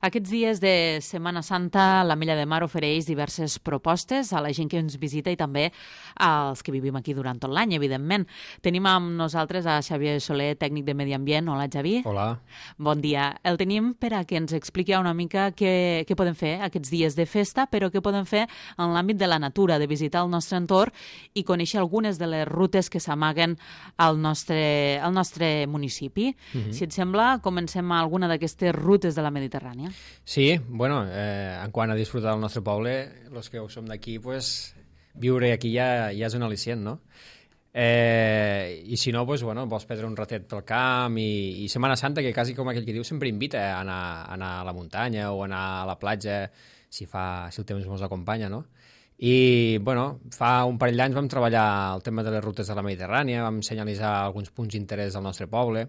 Aquests dies de Setmana Santa, l'Ametlla de Mar ofereix diverses propostes a la gent que ens visita i també als que vivim aquí durant tot l'any, evidentment. Tenim amb nosaltres a Xavier Soler, tècnic de Medi Ambient. Hola, Xavi. Hola. Bon dia. El tenim per a que ens expliqui una mica què podem fer aquests dies de festa, però què podem fer en l'àmbit de la natura, de visitar el nostre entorn i conèixer algunes de les rutes que s'amaguen al nostre municipi. Si et sembla, comencem a alguna d'aquestes rutes de la Mediterrània. Sí, bueno, en quant a disfrutar del nostre poble, els que som d'aquí, pues, viure aquí ja és un al·licient, no? I si no, pues, bueno, vols perdre un ratet pel camp i Setmana Santa, que quasi com aquell que diu, sempre invita a anar a la muntanya o a anar a la platja si el temps ens acompanya, no? I, bueno, fa un parell d'anys vam treballar el tema de les rutes de la Mediterrània, vam senyalitzar alguns punts d'interès del nostre poble,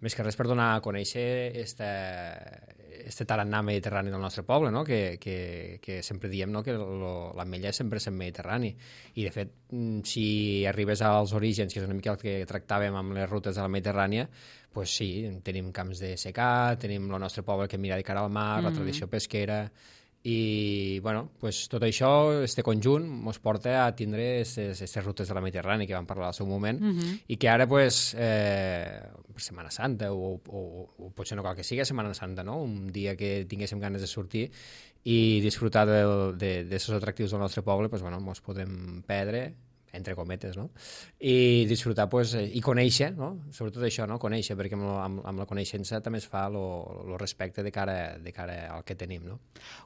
més que res per donar a conèixer este tarannà mediterrani del nostre poble, no? que sempre diem, no? que l'Ametlla sempre és en Mediterrani. I, de fet, si arribes als orígens, que és una mica el que tractàvem amb les rutes de la Mediterrània, pues sí, tenim camps de secà, tenim el nostre poble que mira de cara al mar, la tradició pesquera, i bueno, pues, tot això, este conjunt, ens porta a tindre aquestes rutes de la Mediterrània que vam parlar al seu moment i que ara, pues, per Setmana Santa o potser no cal que sigui Setmana Santa, no? Un dia que tinguéssim ganes de sortir i disfrutar d'aquests atractius del nostre poble, pues, bueno, ens podem perdre, entre cometes, no? I disfrutar, pues, i conèixer, no? Sobretot això, no? Conèixer, perquè amb la coneixença també es fa el respecte de cara al que tenim, no?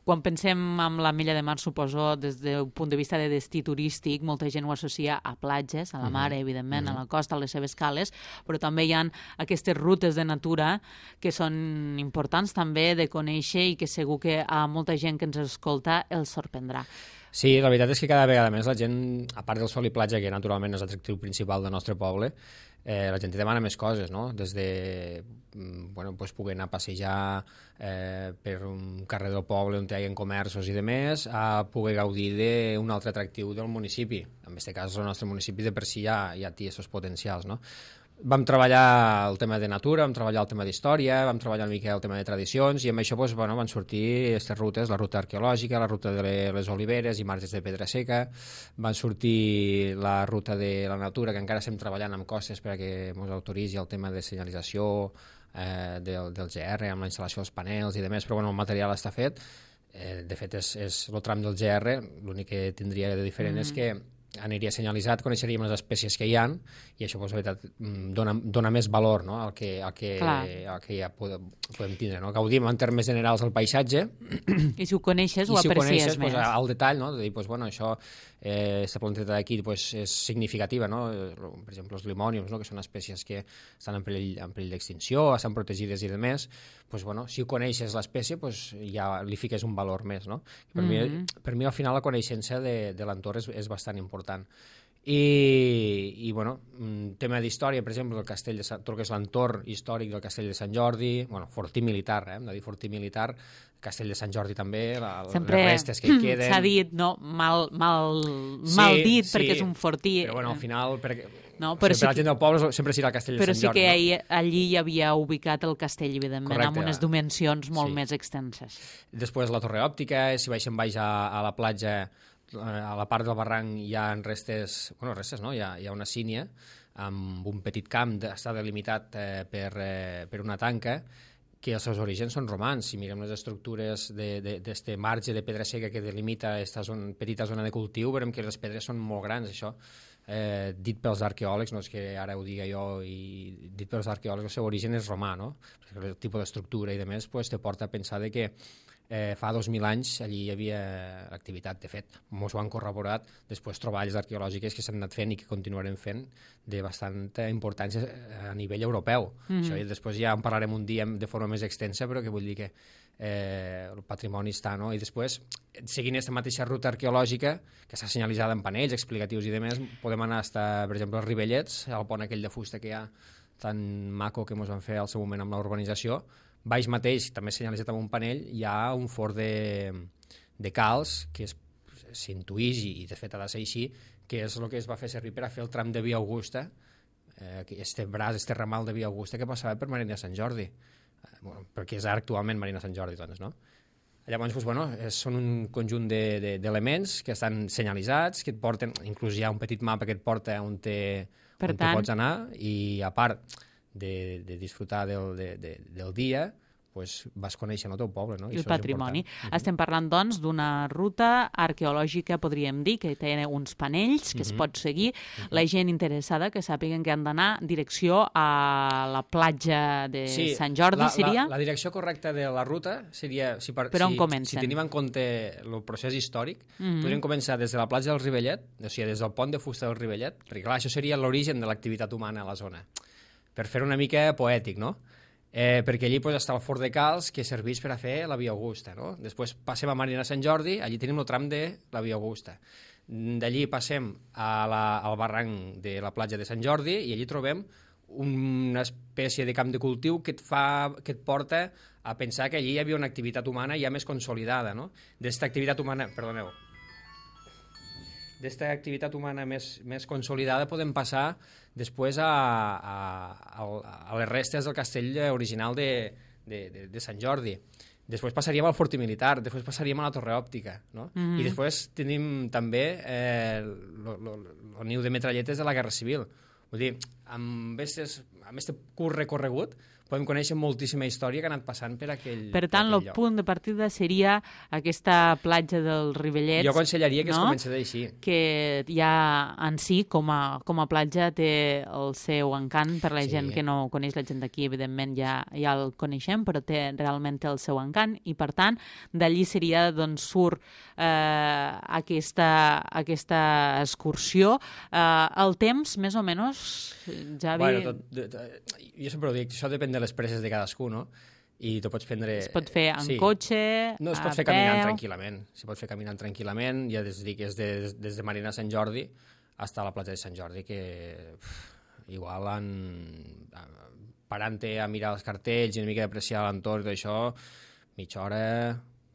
Quan pensem en l'Ametlla de Mar, suposo, des del punt de vista de destí turístic, molta gent ho associa a platges, a la mar, evidentment, a la costa, a les seves cales, però també hi ha aquestes rutes de natura que són importants també de conèixer i que segur que a molta gent que ens escolta els sorprendrà. Sí, la veritat és que cada vegada més la gent, a part del sol i platja, que naturalment és l'atractiu principal del nostre poble, la gent demana més coses, no? Des de bueno, pues, poder anar a passejar per un carrer del poble on hi ha comerços i demés, a poder gaudir d'un altre atractiu del municipi. En aquest cas, el nostre municipi de per si ja té aquests potencials, no? Vam treballar el tema de natura, vam treballar el tema d'història, vam treballar una mica el tema de tradicions i amb això pues, bueno, van sortir aquestes rutes, la ruta arqueològica, la ruta de les oliveres i marges de pedra seca, van sortir la ruta de la natura, que encara estem treballant amb costes perquè ens autoritzi el tema de senyalització del GR, amb la instal·lació dels panels i demés, però bueno, el material està fet. De fet, és el tram del GR, l'únic que tindria de diferent és que aniria senyalitzat, coneixeríem les espècies que hi ha i això, pues, la veritat, dona més valor, no? al que ja podem tindre. No? Gaudim en termes generals del paisatge i si ho coneixes ho aprecies més. I si ho coneixes, pues, al detall, no? De dir, pues, bueno, això, aquesta planteta d'aquí pues, és significativa, no? Per exemple, els limòniums, no? Que són espècies que estan en perill d'extinció, estan protegides i demés, pues, bueno, si ho coneixes l'espècie, pues, ja li fiques un valor més. No? Per mi, al final, la coneixença de l'entorn és bastant important. I bueno, tema d'història, per exemple, tot el que és l'entorn històric del Castell de Sant Jordi, bueno, fortí militar, hem de dir fortí militar, Castell de Sant Jordi també, les restes que hi queden. S'ha dit, no, mal dit, sí, perquè és un fortí. Però bueno, al final, per la gent del poble sempre serà el Castell de Sant Jordi. Però sí que allí hi havia ubicat el castell, evidentment, correcte, amb unes dimensions molt més extenses. Després la torre òptica, si baixem baix a la platja, a la part del barranc hi ha restes, no? Hi ha una sínia amb un petit camp, està delimitat per una tanca, que els seus orígens són romans. Si mirem les estructures d'este marge de pedra seca que delimita aquesta petita zona de cultiu, veurem que les pedres són molt grans, això. Dit pels arqueòlegs, no és que ara ho diga jo, i dit pels arqueòlegs el seu origen és romà, no? El tipus d'estructura i demés pues, te porta a pensar que fa 2.000 anys allí hi havia activitat. De fet, ens ho han corroborat després treballs arqueològics que s'han anat fent i que continuarem fent de bastanta importància a nivell europeu. Això, i després ja en parlarem un dia de forma més extensa, però que vull dir que el patrimoni està, no? I després, seguint aquesta mateixa ruta arqueològica, que està senyalitzada en panells explicatius i demés, podem anar fins, per exemple, als Rivellets, al pont aquell de fusta que hi ha tan maco que ens van fer al seu moment amb la urbanització. Baix mateix, també senyalitzat amb un panell, hi ha un fort de calç que s'intuïx, i de fet ha de ser així, que és el que es va fer servir per a fer el tram de Via Augusta, este ramal de Via Augusta que passava per Marina de Sant Jordi. bueno, perquè és actualment Marina Sant Jordi, doncs, no? Llavors, doncs, bueno, són un conjunt d'elements que estan senyalitzats, que et porten, inclús hi ha un petit mapa que et porta on te pots anar, i a part de disfrutar del dia, pues, vas conèixer el teu poble, no? I el patrimoni. Estem parlant, doncs, d'una ruta arqueològica, podríem dir, que té uns panells que es pot seguir. La gent interessada que sàpiguen que han d'anar direcció a la platja de Sant Jordi, seria? La direcció correcta de la ruta seria... Per on comencen? Si tenim en compte el procés històric, podríem començar des de la platja del Rivellet, o sigui, des del pont de fusta del Rivellet, perquè, clar, això seria l'origen de l'activitat humana a la zona. Per fer una mica poètic, no? Perquè allí pues, està el Fort de Cals, que serveix per a fer la Via Augusta, no? Després passem a Marina Sant Jordi, allí tenim el tram de la Via Augusta. D'allí passem al barranc de la platja de Sant Jordi i allí trobem una espècie de camp de cultiu que et porta a pensar que allí hi havia una activitat humana ja més consolidada, no? D'esta activitat humana més consolidada podem passar després a les restes del castell original de Sant Jordi. Després passaríem al Fortí Militar, després passaríem a la Torre Òptica, no? I després tenim també el niu de metralletes de la Guerra Civil. Vull dir, amb aquest curt recorregut podem conèixer moltíssima història que ha anat passant per aquell lloc. Per tant, el punt de partida seria aquesta platja del Rivellet. Jo aconsellaria que es comencés així. Que ja en si, com a platja, té el seu encant per la gent que no coneix. La gent d'aquí, evidentment, ja el coneixem, però realment té el seu encant, i per tant, d'allí seria d'on surt aquesta excursió. El temps, més o menys, Javi... Jo sempre ho dic, això depèn de les presses de cadascú, no? I tu pots prendre... Es pot fer en cotxe, no, es pot fer caminant tranquil·lament. Si pot fer caminant tranquil·lament, ja des de Marina Sant Jordi fins a la platja de Sant Jordi, que igual parant-te a mirar els cartells i una mica d'apreciar l'entorn i tot això, mitja hora,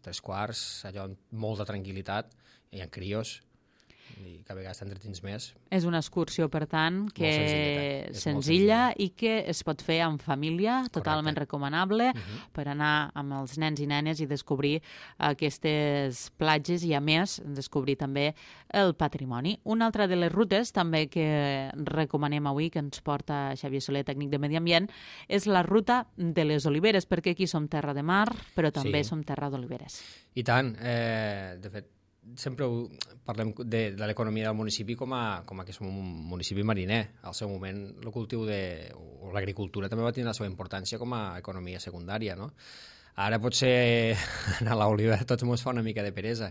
3/4, allò amb molta tranquil·litat, hi ha crios, i que a vegades t'entretins més. És una excursió, per tant, que senzilla i que es pot fer en família, totalment recomanable, per anar amb els nens i nenes i descobrir aquestes platges i, a més, descobrir també el patrimoni. Una altra de les rutes també que recomanem avui, que ens porta Xavier Soler, tècnic de Medi Ambient, és la ruta de les Oliveres, perquè aquí som terra de mar, però també som terra d'oliveres. I tant. De fet, sempre parlem de l'economia del municipi com a que som un municipi mariner. Al seu moment, el cultiu o l'agricultura també va tenir la seva importància com a economia secundària, no? Ara potser anar a l'oliva tots ens fa una mica de peresa,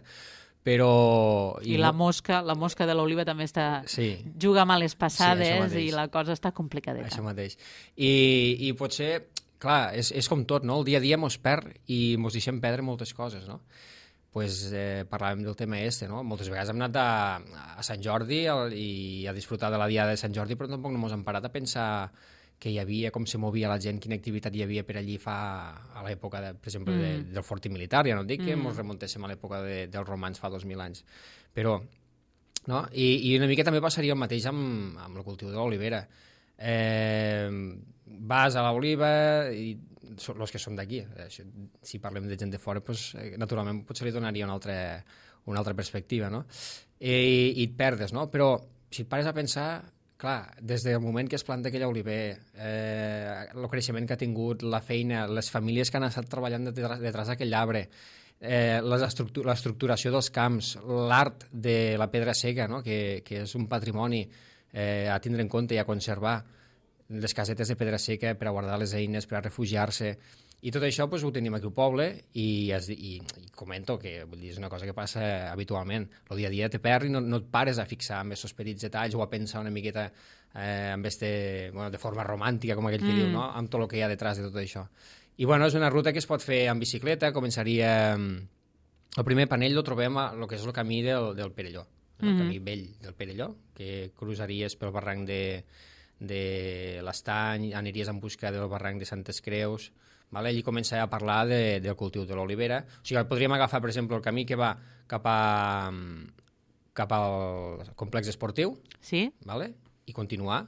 però... I la mosca de l'oliva també juga males passades i la cosa està complicadeta. Això mateix. I potser, clar, és com tot, no? El dia a dia mos perd i mos deixem perdre moltes coses, no? Parlàvem del tema no? Moltes vegades hem anat a Sant Jordi i a disfrutar de la diada de Sant Jordi, però tampoc no ens hem parat a pensar que hi havia, com se movia la gent, quina activitat hi havia per allí a l'època, per exemple, del Fortí Militar. Ja no dic que ens remuntéssim a l'època dels romans fa 2000 anys. Però, no? I una mica també passaria el mateix amb el cultiu de l'olivera. Vas a l'oliva i els que som d'aquí, si parlem de gent de fora, naturalment potser li donaria una altra perspectiva, no? I et perdes, no? Però si et pares a pensar, clar, des del moment que es planta aquell oliver, el creixement que ha tingut, la feina, les famílies que han estat treballant detrás d'aquell arbre, l'estructuració dels camps, l'art de la pedra seca, no? Que és un patrimoni a tindre en compte i a conservar, les casetes de pedra seca per a guardar les eines, per a refugiar-se, i tot això ho tenim aquí al poble, i comento que és una cosa que passa habitualment. El dia a dia te perd i no et pares a fixar amb aquests petits detalls o a pensar una miqueta de forma romàntica, com aquell que diu, no? Amb tot el que hi ha detrás de tot això. I és una ruta que es pot fer en bicicleta. Començaria... El primer panell el trobem a el que és el camí del Perelló, el camí vell del Perelló, que cruzaries pel barranc de l'Estany, aniries en busca del barranc de Santes Creus, allí comença a parlar del cultiu de l'olivera. O sigui, podríem agafar, per exemple, el camí que va cap al complex esportiu, i continuar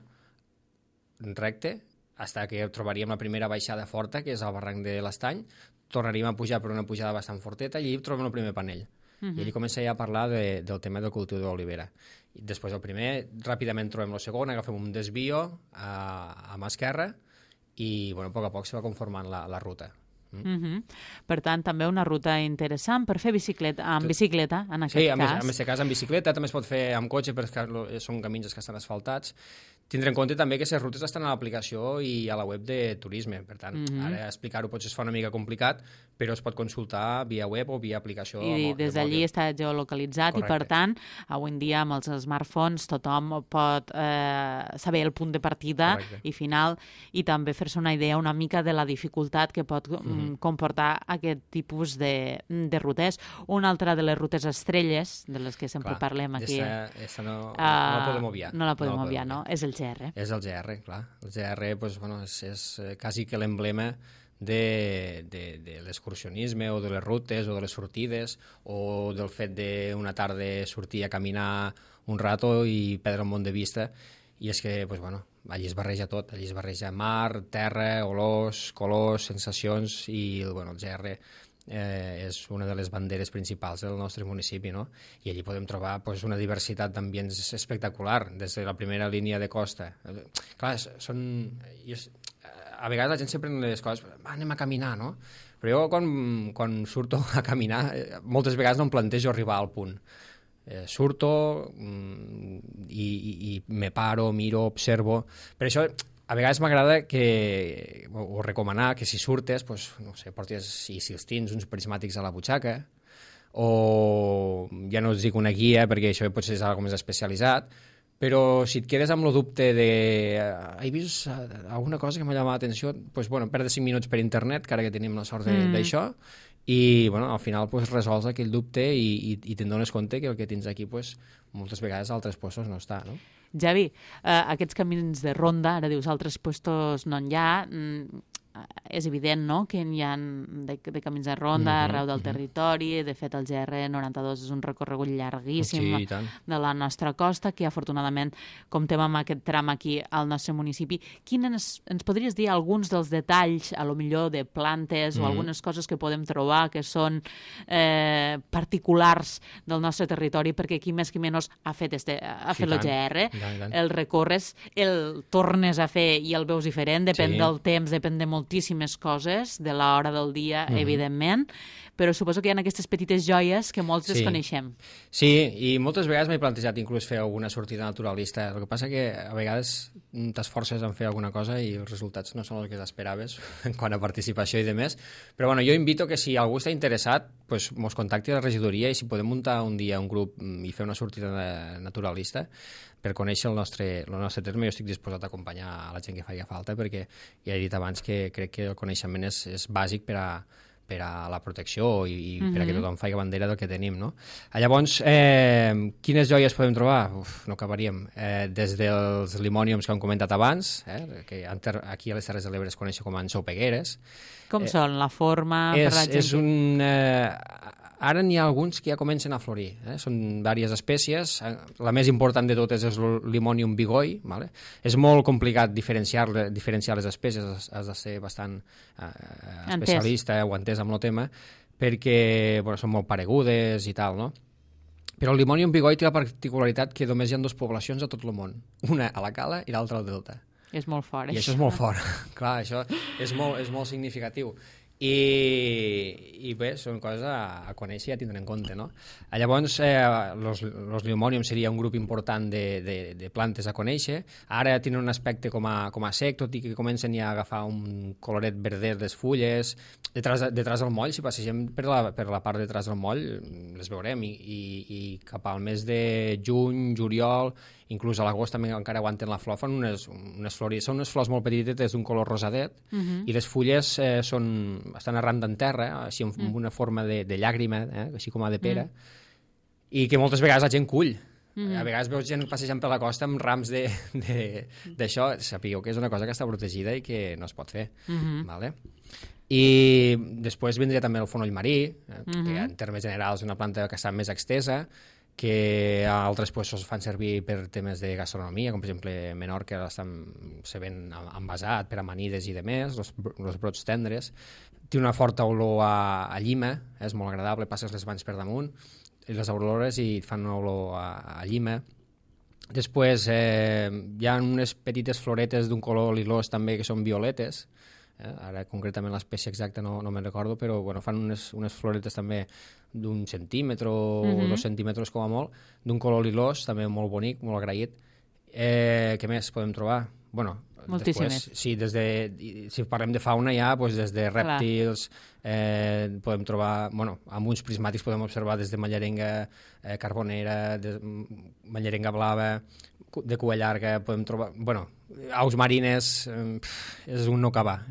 recte fins que trobaríem la primera baixada forta, que és el barranc de l'Estany, tornaríem a pujar per una pujada bastant forteta i allí trobem el primer panell. I allí comença ja a parlar del tema del cultiu de l'olivera. Després el primer, ràpidament trobem el segon, agafem un desvio a mà esquerra i a poc a poc se va conformant la ruta. Per tant, també una ruta interessant per fer bicicleta, en bicicleta, en aquest cas. Sí, en aquest cas en bicicleta, també es pot fer amb cotxe perquè són camins que estan asfaltats. Tindre en compte també que les rutes estan a l'aplicació i a la web de turisme, per tant, ara explicar-ho potser es fa una mica complicat, però es pot consultar via web o via aplicació. I des d'allí està geolocalitzat. Correcte. I, per tant, avui en dia amb els smartphones tothom pot saber el punt de partida. Correcte. I final, i també fer-se una idea una mica de la dificultat que pot comportar aquest tipus de rutes. Una altra de les rutes estrelles, de les que sempre parlem aquí. Aquesta no la podem obviar. No la podem obviar, no? És el GR. És el GR, clar. El GR és quasi que l'emblema de l'excursionisme o de les rutes o de les sortides o del fet d'una tarda sortir a caminar un rato i perdre un món de vista. I és que, allí es barreja tot. Allí es barreja mar, terra, olors, colors, sensacions i el GR és una de les banderes principals del nostre municipi, no? I allí podem trobar una diversitat d'ambients espectacular, des de la primera línia de costa. Clar, a vegades la gent sempre pren les coses, anem a caminar, no? Però jo quan surto a caminar, moltes vegades no em plantejo arribar al punt. Surto i me paro, miro, observo. Per això a vegades m'agrada o recomanar que si surtes, portis, si els tens, uns prismàtics a la butxaca, o ja no us dic una guia, perquè això potser és una cosa més especialitzat, però si et quedes amb el dubte de he vist alguna cosa que m'ha llamat l'atenció, perdre 5 minuts per internet, que ara que tenim la sort d'això, i al final resols aquell dubte i te'n dones compte que el que tens aquí moltes vegades a altres llocs no està, no? Javi, aquests camins de ronda, ara dius altres llocs no n'hi ha, és evident, no?, que n'hi ha de camins de ronda arreu del territori. De fet, el GR92 és un recorregut llarguíssim de la nostra costa, que afortunadament comptem amb aquest tram aquí al nostre municipi. Ens podries dir alguns dels detalls, a lo millor de plantes o algunes coses que podem trobar que són particulars del nostre territori, perquè aquí més que menys ha fet el GR, el recorres, el tornes a fer i el veus diferent, depèn del temps, depèn de moltíssimes coses, de l'hora del dia, evidentment, però suposo que hi ha aquestes petites joies que molts desconeixem. Sí, i moltes vegades m'he plantejat inclús fer alguna sortida naturalista. El que passa que a vegades t'esforces en fer alguna cosa i els resultats no són els que t'esperaves en quant a participació i demés. Però jo invito que si algú està interessat, mos contacti a la regidoria i si podem muntar un dia un grup i fer una sortida naturalista per conèixer el nostre terme, jo estic disposat a acompanyar a la gent que faci falta, perquè ja he dit abans que crec que el coneixement és bàsic per a la protecció i per a que tothom faci bandera del que tenim, no? Llavors, quines joies podem trobar? No acabaríem. Des dels limòniums que hem comentat abans, que aquí a les Terres de l'Ebre es coneix com a ensaupegueres. Com són? La forma? Ara n'hi ha alguns que ja comencen a florir. Són diverses espècies. La més important de totes és el Limonium bigoi. És molt complicat diferenciar les espècies. Has de ser bastant especialista o entès amb el tema, perquè són molt paregudes i tal, no? Però el Limonium bigoi té la particularitat que només hi ha 2 poblacions a tot el món. Una a la Cala i l'altra al Delta. És molt fort, I això és molt fort. Clar, això és molt significatiu. I bé, són coses a conèixer i a tindre en compte, no? Llavors, los Limonium seria un grup important de plantes a conèixer. Ara tenen un aspecte com a sec, tot i que comencen ja a agafar un coloret verdet les fulles. Detrás del moll, si passegem per la part de detrás del moll, les veurem, i cap al mes de juny, juliol, inclús a l'agost també encara aguanten la flor, fan unes flors, són unes flors molt petites d'un color rosadet, i les fulles estan arran en terra, així amb una forma de llàgrima, així com a de pera, i que moltes vegades la gent cull. A vegades veus gent passejant per la costa amb rams d'això. Sapigueu que és una cosa que està protegida i que no es pot fer. I després vindria també el fonoll marí, que en termes generals és una planta que està més extesa, que altres puestos fan servir per temes de gastronomia, com per exemple Menorca se ven envasat per amanides i demés, els brots tendres. Té una forta olor a llima, és molt agradable, passes les mans per damunt, i les olores i fan una olor a llima. Després hi ha unes petites floretes d'un color lilós també que són violetes, ara concretament l'espècie exacta no me'n recordo, però bueno, fan unes floretes també d'1 centímetre o 2 centímetres com a molt, d'un color lilós, també molt bonic, molt agraït. Què més podem trobar? Bueno, moltíssimes. Després, si parlem de fauna ja, doncs des de rèptils, podem trobar, bueno, amb uns prismàtics podem observar des de mallerenga carbonera, mallerenga blava, de cua llarga, podem trobar, bueno, aus marines, és un no acabar,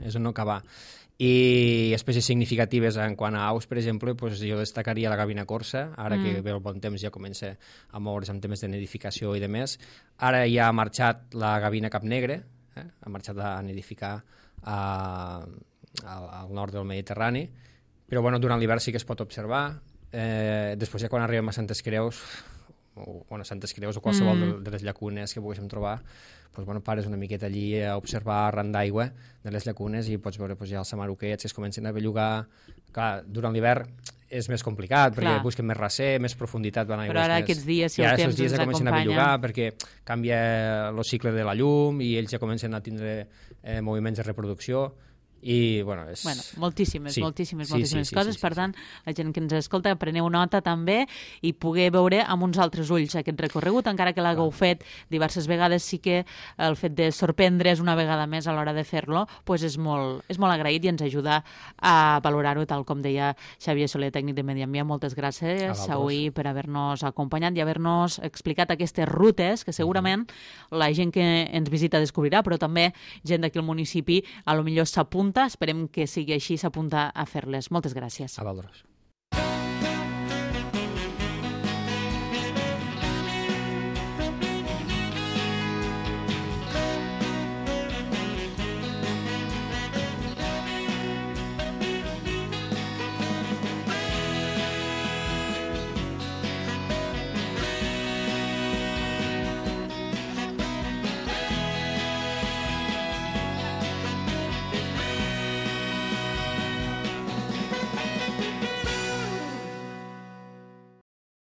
I espècies significatives en quant a aus, per exemple, doncs jo destacaria la gavina corsa, ara que ve el bon temps ja comença a moure's amb temes de nidificació i de més. Ara ja ha marxat la gavina capnegre, ha marxat a nidificar al nord del Mediterrani, però bueno, durant l'hivern sí que es pot observar. Després ja quan arribem a Santes Creus, o qualsevol de les llacunes que poguéssim trobar, doncs, bueno, pares una miqueta allí a observar arran d'aigua de les llacunes i pots veure ja els samaruquets que es comencen a bellugar. Clar, durant l'hivern és més complicat perquè busquen més recer, més profunditat. Però ara aquests dies, si el temps ens acompanya... comencen a bellugar perquè canvia el cicle de la llum i ells ja comencen a tindre moviments de reproducció. I, bueno, moltíssimes coses. Per tant, la gent que ens escolta, preneu nota també i poder veure amb uns altres ulls aquest recorregut, encara que l'hagueu fet diverses vegades, sí que el fet de sorprendre's una vegada més a l'hora de fer-lo doncs és molt agraït i ens ajuda a valorar-ho, tal com deia Xavier Soler, tècnic de Medi Ambient. Moltes gràcies avui per haver-nos acompanyat i haver-nos explicat aquestes rutes que segurament la gent que ens visita descobrirà, però també gent d'aquí al municipi a lo millor s'apunta. Esperem que sigui així, s'apunta a fer-les. Moltes gràcies. A vosaltres.